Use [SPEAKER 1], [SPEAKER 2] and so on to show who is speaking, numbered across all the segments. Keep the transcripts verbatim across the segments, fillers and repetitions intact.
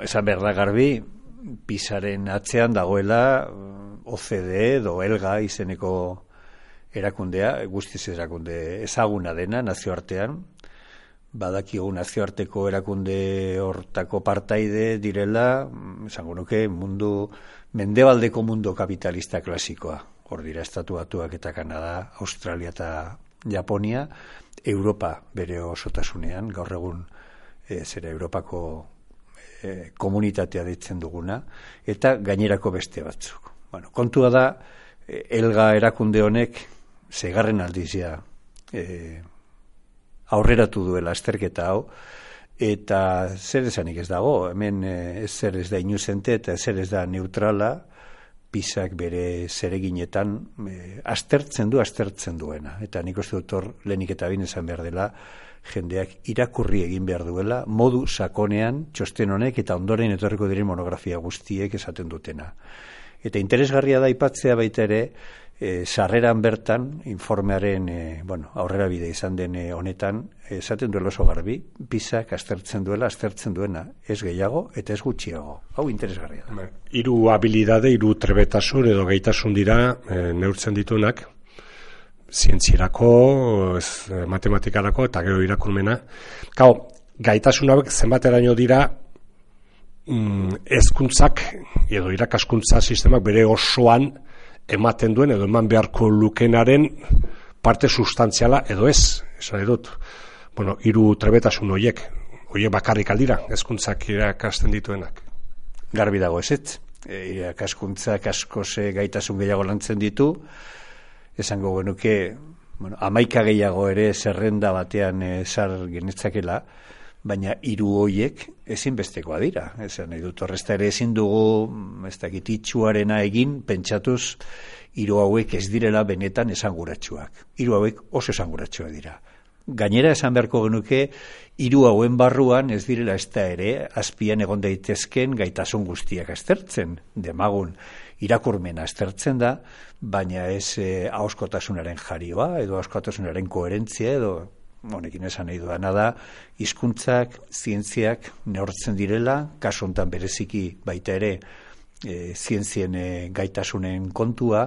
[SPEAKER 1] esan behar da garbi, Pisaren atzean dagoela O C D E edo Elga izeneko erakundea, guztiz erakunde ezaguna dena nazioartean, badakigu nazioarteko erakunde hortako partaide direla, esango nuke mundu, mendebaldeko mundu kapitalista klasikoa, hor dira Estatu Batuak eta Kanada, Australia eta Japonia, Europa bere osotasunean, gaur egun e, zera Europako e, komunitatea ditzen duguna, eta gainerako beste batzuk. Bueno, kontua da, e, Elga erakunde honek, segarren aldizia e, aurreratu duela azterketa hau, eta zer esanik ez dago, hemen e, zer ez da inuzente eta zer ez da neutrala, Pisak bere zereginetan e, aztertzen du, aztertzen duena. Eta nik uste dut hor lehenik eta bin esan behar dela, jendeak irakurri egin behar duela, modu sakonean txosten honek eta ondoren etorriko diren monografia guztiek esaten dutena. Eta interesgarria da aipatzea baita ere, E, sarreran bertan, informearen e, bueno, aurrera bide izan den e, honetan, esaten duela oso garbi, Pisak aztertzen duela, aztertzen duena, ez gehiago eta ez gutxiago. Hau interesgarria da.
[SPEAKER 2] Hiru habilidade, hiru trebetasun edo gaitasun dira e, neurtzen dituenak, zientzierako, ez, matematikarako eta gero irakurmena. Gau, gaitasun hauek zenbateraino dira mm, hezkuntzak edo irakaskuntza sistemak bere osoan ematen duen edo eman beharko lukenaren parte substantziala edo ez, esan edut. Bueno, hiru trebetasun horiek, horiek bakarrik aldira, hezkuntzak irakasten dituenak.
[SPEAKER 1] Garbi dago ezetz, e, irakaskuntzak askoz gaitasun gehiago lantzen ditu, esango genuke, bueno, hamaika gehiago ere zerrenda batean e, sar genetzakela, baina hiru horiek ezinbestekoa dira. Esan nahi dut horrezta ere ezin dugu, ez dakit itxuarena egin, pentsatuz hiru hauek ez direla benetan esanguratsuak. Hiru hauek oso esanguratsuak dira. Gainera esan beharko genuke, hiru hauen barruan ez direla ez da ere, azpian egon daitezken gaitasun guztiak aztertzen, demagun irakurmena aztertzen da, baina ez eh, ahoskotasunaren jarioa, edo ahoskotasunaren koherentzia, edo honekin esan nahi duana da, hizkuntzak, zientziak neurtzen direla, kasu honetan bereziki baita ere e, zientzien e, gaitasunen kontua,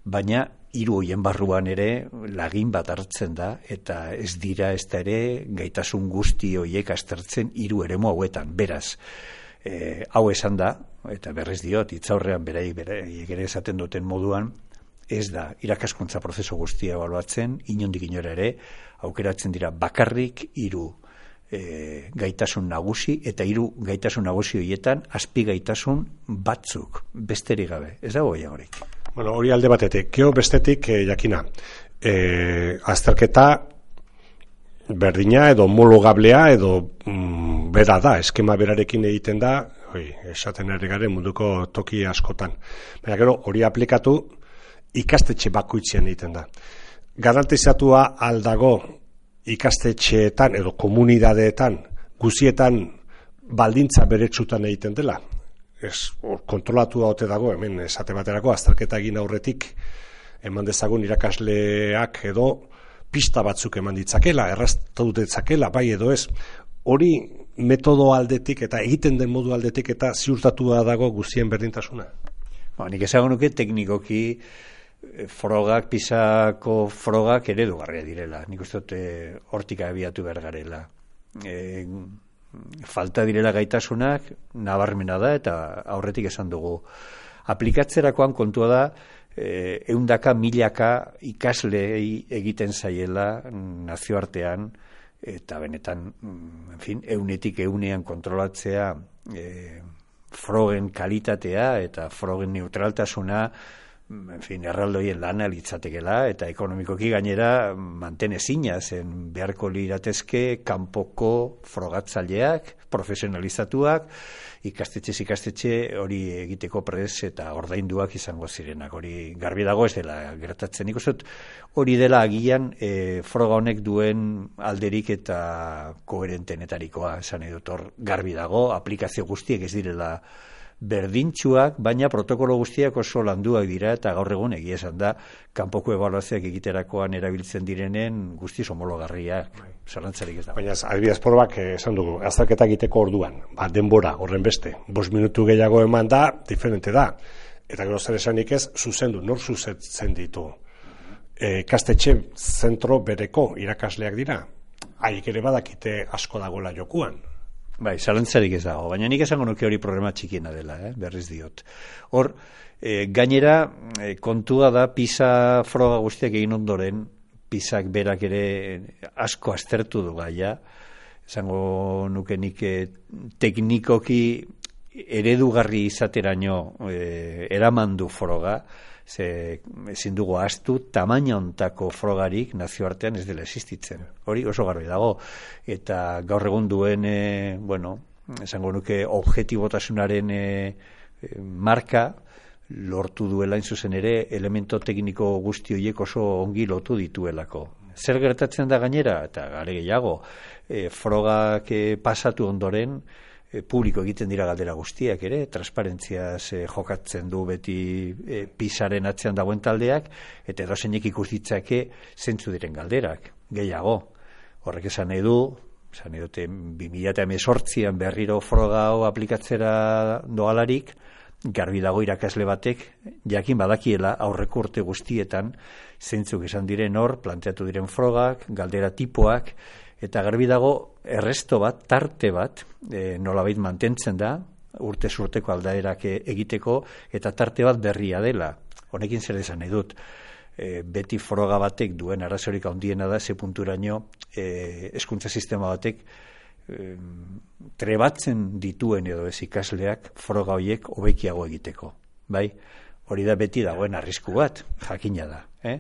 [SPEAKER 1] baina hiru hoien barruan ere lagin bat hartzen da, eta ez dira ez da ere gaitasun guzti hoiek aztertzen hiru eremu hauetan, beraz. E, hau esan da, eta berrez diot, hitzaurrean beraiek beraiek ere esaten duten moduan, ez da irakaskuntza prozesu guztia ebaluatzen, inondik inora ere, aukeratzen dira bakarrik hiru e, gaitasun nagusi, eta hiru gaitasun nagusi horietan azpi gaitasun batzuk, besterik gabe, ez dago gehiagorik.
[SPEAKER 2] Bueno, hori alde batetik, gero bestetik e, jakina, e, azterketa berdina edo homologablea edo mm, bera da, eskema berarekin egiten da, oi, esaten ari garen munduko toki askotan. Baina gero hori aplikatu ikastetxe bakoitzean egiten da. Garantizatua aldago ikastetxeetan edo komunidadeetan guzietan baldintza beretsutan egiten dela. Ez, kontrolatua ote dago, hemen esate baterako azterketa egin aurretik eman dezagun irakasleak edo pista batzuk eman ditzakela, erraztu ditzakela, bai edo ez. Hori metodo aldetik eta egiten den modu aldetik eta ziurtatua dago guztien berdintasuna.
[SPEAKER 1] Ba, nik esango nuke teknikoki frogak, pisako frogak eredugarria direla. Nik uste dut hortik abiatu behar garela. E, falta direla gaitasunak, nabarmena da, eta aurretik esan dugu. Aplikatzerakoan kontua da, e, eundaka, milaka ikasle egiten zaiela nazioartean, eta benetan, en fin, eunetik eunean kontrolatzea e, frogen kalitatea eta frogen neutraltasuna, en fin, erraldoien lana litzatekela, eta ekonomikoki gainera mantenezina zen beharko liratezke kanpoko frogatzaileak, profesionalizatuak, ikastetxez ikastetxe hori egiteko prez eta ordainduak izango zirenak. Hori garbi dago ez dela gertatzen. Nik uste dut hori dela agian e, froga honek duen alderik eta koherentenetarikoa, esan nahi dut hor garbi dago, aplikazio guztiek ez direla berdintsuak, baina protokolo guztiak oso landuak dira, eta gaur egun egia esan da, kanpoko ebaluazioak egiterakoan erabiltzen direnen guztiz homologarriak, zalantzarik ez da.
[SPEAKER 2] Baina, adibidez probak, esan dugu, azterketa egiteko orduan, ba, denbora, horren beste, bost minutu gehiago eman da, diferente da, eta gero zer esanik ez, zuzendu, nor zuzentzen ditu. E, kastetxe zentro bereko irakasleak dira, haik ere badakite asko dagoela jokuan.
[SPEAKER 1] Bai, zalantzarik ez dago, baina nik esango nuke hori problema txikiena dela, eh? Berriz diot. Hor, e, gainera, e, kontua da, PISA froga guztiak egin ondoren, PISAk berak ere asko aztertu du gaia, esango nuke nik e, teknikoki eredugarri izateraino e, eraman du froga, ze ezin dugu ahaztu tamaina hontako frogarik nazioartean ez dela existitzen. Hori oso garbi dago. Eta gaur egun duen, e, bueno, esango nuke objetibotasunaren e, e, marka lortu duela in zuzen ere elemento tekniko guzti horiek oso ongi lotu dituelako. Zer gertatzen da gainera, eta gare gehiago, e, frogak e, pasatu ondoren, E, publiko egiten dira galdera guztiak ere, transparentziaz e, jokatzen du beti e, PISaren atzean dagoen taldeak, eta edozeinek ikus ditzake zentzu diren galderak, gehiago. Horrek esan nahi du, esan nahi dute bi mila hemezortzian berriro froga hau aplikatzera doalarik, garbi dago irakasle batek, jakin badakiela aurreko urte guztietan, zentzuk esan diren hor, planteatu diren frogak, galdera tipoak, eta garbi dago erresto bat, tarte bat, e, nolabait mantentzen da, urte urteko aldaerak egiteko, eta tarte bat berria dela. Honekin zer esan nahi dut, e, beti froga batek duen arazorik handiena da, ze punturaino e, hezkuntza sistema batek e, trebatzen dituen edo ez ikasleak froga horiek hobekiago egiteko. Bai? Hori da beti dagoen arrisku bat, jakina da. Eh?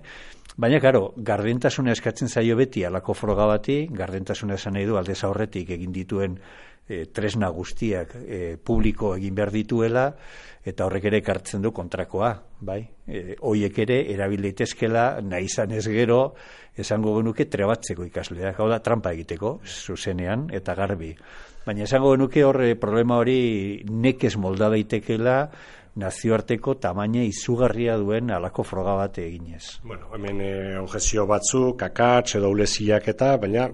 [SPEAKER 1] Baina, karo, gardentasuna eskatzen zaio beti alako froga bati, gardentasuna esan nahi du aldez aurretik egin dituen e, tresna guztiak e, publiko egin behar dituela, eta horrek ere ekartzen du kontrakoa, bai? E, hoiek ere erabil daitezkela nahi izan ez gero, esango genuke trebatzeko ikasleak, hau da trampa egiteko, zuzenean eta garbi. Baina esango genuke horre problema hori nekez molda daitekela, nazioarteko tamaina izugarria duen alako froga bat eginez.
[SPEAKER 2] Bueno, hemen e, objektio batzuk, akats edo uleziak eta, baina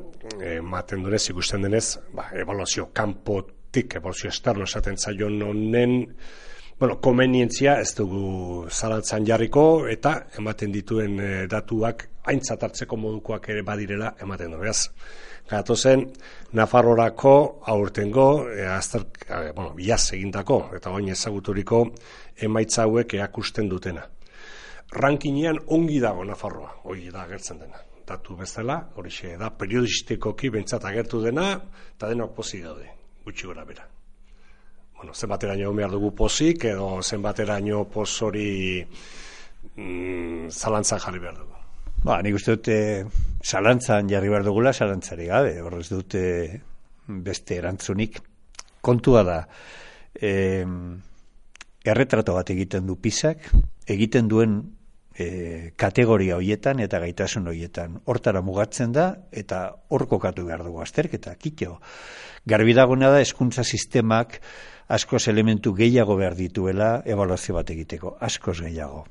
[SPEAKER 2] ematen e, dunez, ikusten denez, ba, evaluazio kanpotik, evaluazio esterno esaten zaion honen, bueno, komenientzia ez dugu zalantzan jarriko, eta ematen dituen e, datuak aintzat hartzeko modukoak ere badirela ematen du. Beraz, gatozen, Nafarrorako aurtengo, e, azter, e, bueno, iaz egindako, eta oin ezaguturiko emaitza hauek erakusten dutena. Rankinean ongi dago Nafarroa, hori da agertzen dena. Datu bezala, hori da periodistikoki bentsat agertu dena, eta denok pozik daude, gutxi gora bera. Bueno, zenbateraino behar dugu pozik, edo zenbateraino poz hori mm, zalantzan jarri behar dugu.
[SPEAKER 1] Ba, nik uste dute zalantzan jarri behar dugula, zalantzari gabe, horrez dute beste erantzunik. Kontua da, eh, erretrato bat egiten du PISak, egiten duen e, kategoria hoietan eta gaitasun hoietan. Hortara mugatzen da, eta hor kokatu behar dugu azterketa, kitxo. Garbi dagona da, hezkuntza sistemak askoz elementu gehiago behar dituela ebaluazio bat egiteko, askoz gehiago.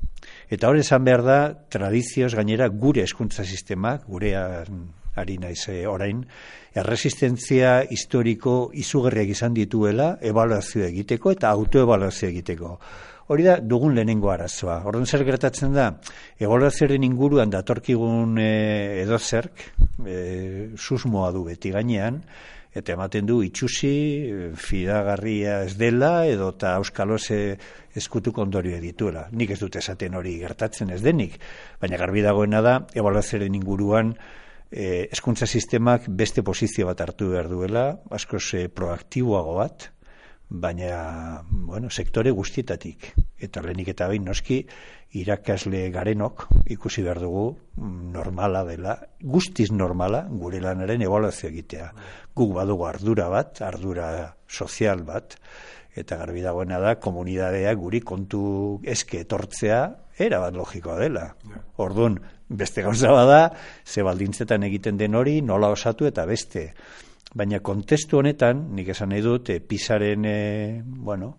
[SPEAKER 1] Eta hori esan behar da, tradizioz gainera gure hezkuntza sistemak, gure ari naiz orain, erresistentzia historiko izugarriak izan dituela ebaluazio egiteko eta autoebaluazio egiteko. Hori da dugun lehenengo arazoa. Orduan zer gertatzen da, ebaluazioaren inguruan datorkigun e, edozerk, e, susmoa du beti gainean, eta ematen du itxusi, fidagarria ez dela, edo eta auskaloz eskutuk ondorio dituela. Nik ez dut esaten hori gertatzen ez denik, baina garbi dagoena da, ebaluazioaren inguruan eh, hezkuntza sistemak beste posizio bat hartu behar duela, askoz eh, proaktiboago bat, baina bueno, sektore guztietatik. Eta lehenik eta behin noski, irakasle garenok ikusi behar dugu normala dela, guztiz normala gure lanaren ebaluazio egitea. Guk badugu ardura bat, ardura sozial bat, eta garbi dagoena da, komunidadea guri kontu eske etortzea, era bat logikoa dela. Orduan, beste gauza bada, ze baldintzetan egiten den hori, nola osatu eta beste. Baina kontestu honetan, nik esan nahi dut, e, PISaren, e, bueno,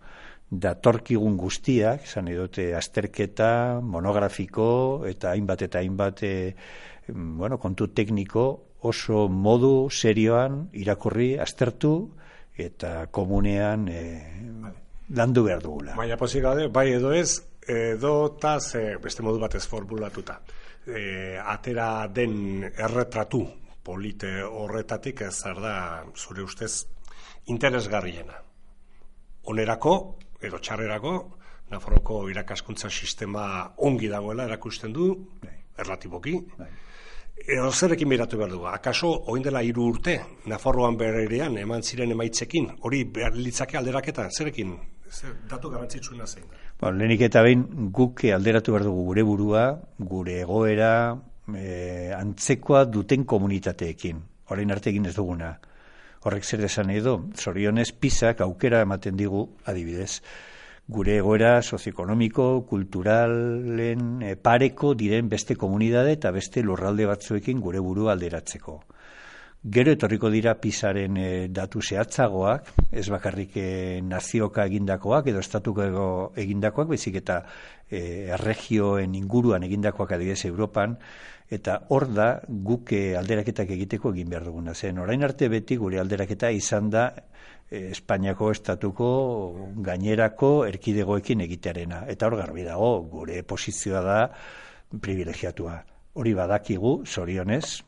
[SPEAKER 1] datorkigun guztiak, esan edote azterketa, monografiko eta hainbat eta hainbat e, bueno, kontu tekniko oso modu serioan irakurri, aztertu eta komunean e, landu behar dugula.
[SPEAKER 2] Baina pozik gaude, bai edo ez, edo eta beste modu batez formulatuta. E, atera den erretratu polite horretatik ez zer da zure ustez interesgarriena. Onerako edo txarrerako, Nafarroko irakaskuntza sistema ongi dagoela erakusten du, erlatiboki. Edo zerekin behiratu behar dugu? Akaso, oin dela hiru urte, Nafarroan berean eman ziren emaitzekin, hori behar litzake alderaketa, zerekin? Zer, datu garrantzitsuena zein da?
[SPEAKER 1] Bueno, lehenik eta behin guk alderatu behar dugu gure burua, gure egoera, e, antzekoa duten komunitateekin. Orain arte egin ez duguna. Horrek zer esan edo, zorionez pisak aukera ematen digu, adibidez, gure egoera sozioekonomiko, kulturalen e, pareko diren beste komunidade eta beste lurralde batzuekin gure burua alderatzeko. Gero etorriko dira pisaren e, datu zehatzagoak, ez bakarrik e, nazioka egindakoak edo estatuko egindakoak, baizik eta e, erregioen inguruan egindakoak adibidez Europan, eta hor da guk alderaketak egiteko egin behar duguna zen. Orain arte beti gure alderaketa izan da e, Espainiako estatuko gainerako erkidegoekin egitearena. Eta hor garbi dago, gure posizioa da privilegiatua. Hori badakigu, zorionez,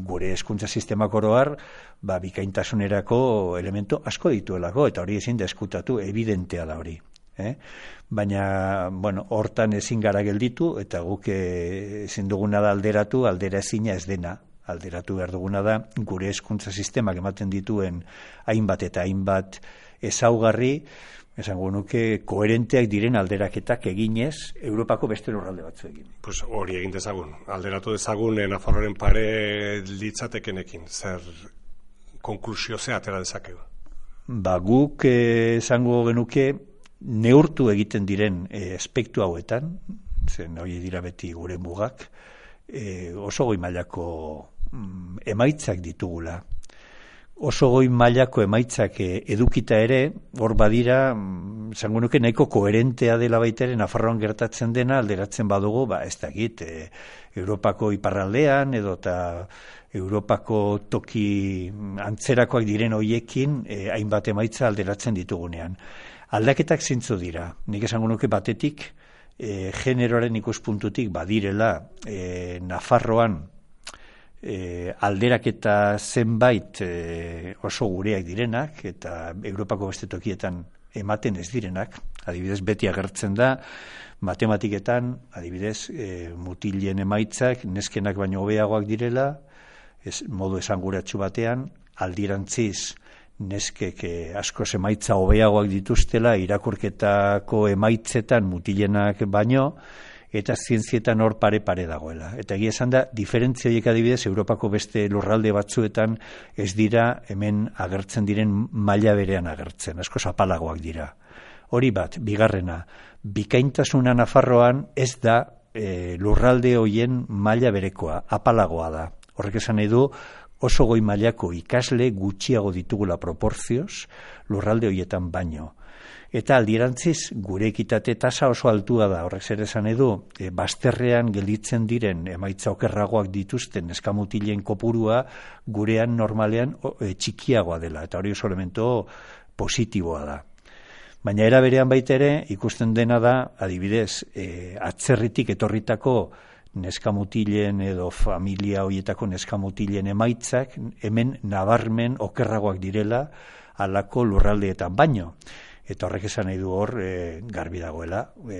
[SPEAKER 1] gure hezkuntza sistemak oro har, ba, bikaintasunerako elemento asko dituelako, eta hori ezin da eskutatu, evidentea da hori. Eh? Baina, bueno, hortan ezin gara gelditu, eta guk ezin duguna da alderatu, aldera ezina ez dena. Alderatu behar duguna da, gure hezkuntza sistemak ematen dituen hainbat eta hainbat ezaugarri, esango nuke koherenteak diren alderaketak eginez Europako beste lurralde batzuekin.
[SPEAKER 2] Pues hori egin dezagun, alderatu dezagun Nafarroaren pare litzatekenekin, zer konklusio ze atera dezakegu?
[SPEAKER 1] Ba, guk esango genuke neurtu egiten diren e, aspektu hauetan, zen hori dira beti gure mugak, e, oso goi mailako mm, emaitzak ditugula. Oso goi mailako emaitzak edukita ere, hor badira, zango nuke nahiko koherentea dela baita ere Nafarroan gertatzen dena, alderatzen badugu, ba, ez dakit, e, Europako iparraldean, edo eta Europako toki antzerakoak diren hoiekin, e, hainbat emaitza alderatzen ditugunean. Aldaketak zintzu dira, nik esango nuke batetik, e, generoaren ikuspuntutik badirela e, Nafarroan, E, alderaketa zenbait e, oso gureak direnak eta Europako beste tokietan ematen ez direnak, adibidez beti agertzen da matematiketan, adibidez e, mutilen emaitzak neskenak baino hobeagoak direla, ez, modu esanguratsu batean, aldirantziz neskek e, asko emaitza hobeagoak dituztela irakurketako emaitzetan mutilenak baino, eta zientzietan hor pare-pare dagoela. Eta egia esan da, diferentzia horiek adibidez, Europako beste lurralde batzuetan ez dira hemen agertzen diren maila berean agertzen, asko zapalagoak dira. Hori bat, bigarrena, bikaintasuna Nafarroan ez da e, lurralde horien maila berekoa, apalagoa da. Horrek esan nahi du, oso goi mailako ikasle gutxiago ditugula proporzioz, lurralde horietan baino. Eta aldirantziz, gure ekitate tasa oso altua da, horrek zer esan edu, e, bazterrean gelditzen diren emaitza okerragoak dituzten eskamutilen kopurua gurean normalean o, e, txikiagoa dela, eta hori oso elemento positiboa da. Baina era berean baita ere, ikusten dena da, adibidez, e, atzerritik etorritako neskamutilen edo familia horietako neskamutilen emaitzak, hemen nabarmen okerragoak direla halako lurraldeetan baino. Eta horrek esan nahi du hor e, garbi dagoela, e,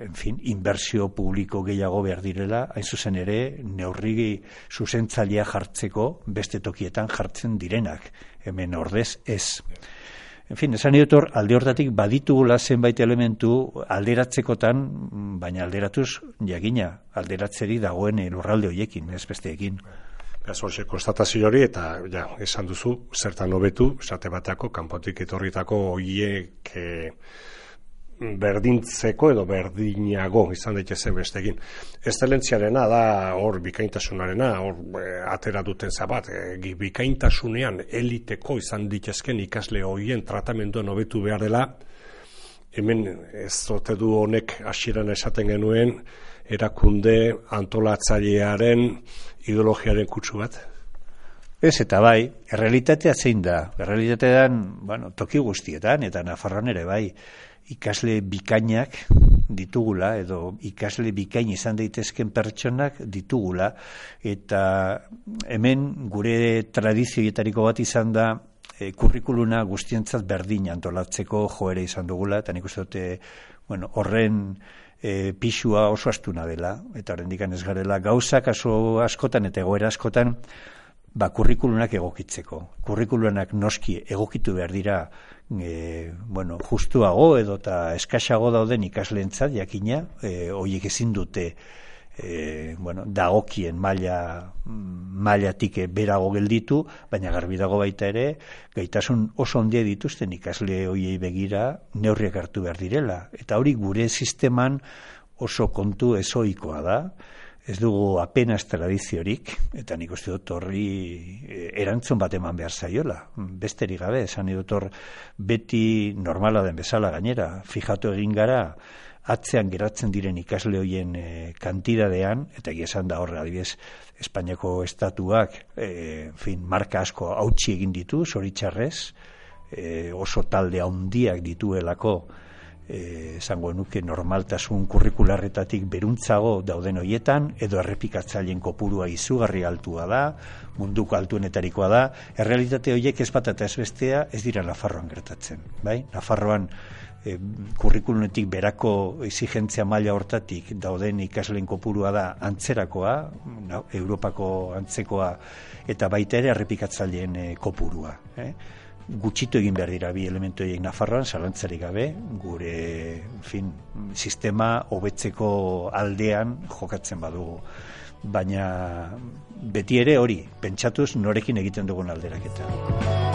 [SPEAKER 1] en fin, inbertsio publiko gehiago behar direla, hain zuzen ere neurri zuzentzailea jartzeko beste tokietan jartzen direnak, hemen ordez ez. En fin, esan nahi dut hor, alde hortatik baditugula zenbait elementu alderatzekotan, baina alderatuz jakina, alderatzeri dagoen lurralde horiekin, ez besteekin.
[SPEAKER 2] Beraz, horxe, konstatazio hori, eta ja, esan duzu, zertan hobetu, esate bateako, kanpotik etorritako horiek e, berdintzeko edo berdinago izan daitezen bestekin. Eszelentziarena da hor bikaintasunarena, hor e, atera duten zabat, e, bikaintasunean eliteko izan ditezken ikasle horien tratamenduen hobetu behar dela, hemen ez ote du honek hasieran esaten genuen erakunde antolatzailearen ideologiaren kutsu bat?
[SPEAKER 1] Ez eta bai, errealitatea zein da. Errealitatean, bueno, toki guztietan, eta Nafarroan ere bai, ikasle bikainak ditugula, edo ikasle bikain izan daitezken pertsonak ditugula, eta hemen gure tradizioetariko bat izan da, e, kurrikuluna guztientzat berdin antolatzeko joera izan dugula, eta nik uste dute, bueno, horren e, pixua oso astuna dela, eta horren dikan ez garela gauzak aso askotan eta egoera askotan, ba, kurrikulunak egokitzeko. Kurrikulunak noski egokitu behar dira e, bueno, justuago edo eta eskaxago dauden ikasleentzat jakina, e, horiek ezin dute e, bueno, dagokien maila mailatik berago gelditu, baina garbi dago baita ere, gaitasun oso handia dituzten ikasle horiei begira neurriak hartu behar direla. Eta hori gure sisteman oso kontu ezoikoa da. Ez dugu apenas tradiziorik, eta nik uste dut horri erantzun bat eman behar zaiola. Besterik gabe, esan dut hor beti normala den bezala gainera. Fijatu egin gara, atzean geratzen diren ikasle hoien e, kantidadean, eta egia esan da horre, adibidez, Espainiako estatuak, e, fin, marka asko hautsi egin ditu, zoritxarrez, e, oso talde handiak dituelako, Eh, esango nuke normaltasun kurrikularretatik beruntzago dauden hoietan, edo errepikatzaileen kopurua izugarri altua da, munduko altuenetarikoa da. Errealitate horiek ez bat eta ez bestea ez dira Nafarroan gertatzen. Bai? Nafarroan eh, kurrikulunetik berako exigentzia maila hortatik dauden ikasleen kopurua da antzerakoa, no, Europako antzekoa, eta baita ere errepikatzaileen eh, kopurua. Eh? Gutxitu egin behar dira bi elementu horiek Nafarroan, zalantzarik gabe, gure fin, sistema hobetzeko aldean jokatzen badugu. Baina beti ere hori, pentsatuz norekin egiten dugun alderaketa.